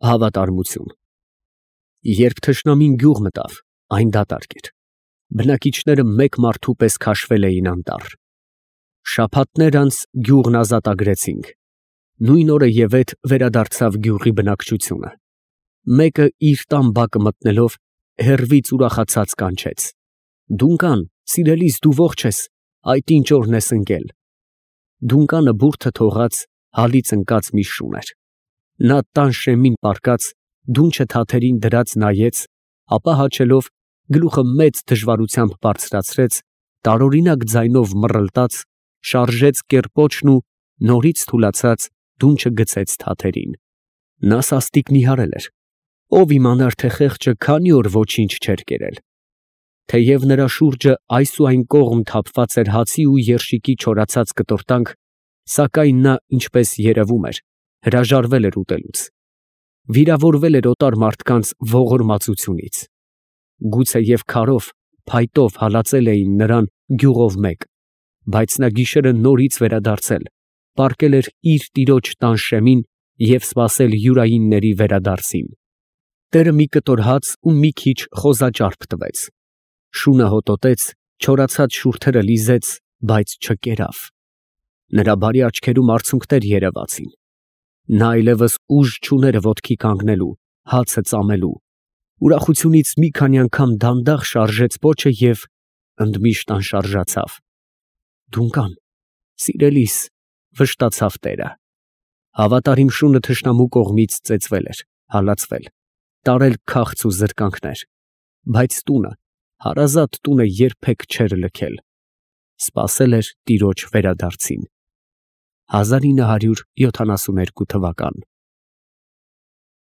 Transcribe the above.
Հավատարմություն։ Երբ թշնամին գյուղ մտավ, այն դատարկ էր։ Բնակիչները մեկ մարդու պես քաշվել էին անտառ։ Շաբաթներ անց գյուղն ազատագրեցինք։ Նույն օրը ևեթ վերադարձավ գյուղի բնակչությունը։ Մեկը իր տան բակը մտնելով հեռվից ուրախացած կանչեց. «Դունկան, սիրելիս, դու ողջ ես, այդ ինչ օրն ես ընկել»։ Դունկանը բուրդը թողած հալից ընկած մի շուն էր։ Նա տան շեմին պառկած, դունչը թաթերին դրած նայեց, ապա հաչելով գլուխը մեծ դժվարությամբ բարձրացրեց, տարօրինակ ձայնով մռլտաց, շարժեց կեռպոչն ու նորից թուլացած դունչը գցեց թաթերին։ Նա սաստիկ նիհարել էր։ Ով իմանար, թե խեղճը քանի օր ոչինչ չէր կերել։ Թեև նրա շուրջը այս ու այն կողմ թափված էր հացի ու երշիկի չորացած կտորտանք, սակայն նա, ինչպես երևում էր, հրաժարվել էր ուտելուց։ Վիրավորվել էր օտար մարդկանց ողորմածությունից։ Գուցեև քարով, փայտով հալածել էին նրան գյուղով մեկ, բայց նա գիշերը նորից վերադարձել, պառկել էր իր տիրոջ տան շեմին և սպասել յուրայինների վերադարձին։ Տերը մի կտոր հաց ու մի քիչ խոզաճարպ տվեց։ Շունը հոտոտեց, չորացած շուրթերը լիզեց, բայց չկերավ։ Նրա բարի աչքերում արցունքներ երևացին։ Նա այլևս ուժ չուներ ոտքի կանգնելու, հացը ծամելու։ Ուրախությունից մի քանի անգամ դանդաղ շարժեց պոչը և ընդմիշտ անշարժացավ։ «Դունկան, սիրելիս», վշտացավ տերը։ Հավատարիմ շունը թշնամու կողմից ծեծվել էր, հալածվել, տարել քաղց ու զրկանքներ, բայց տունը, հարազատ տունը երբեք չէր լքել։ Սպասել էր տիրոջ վերադարձին։ 1972 թվական։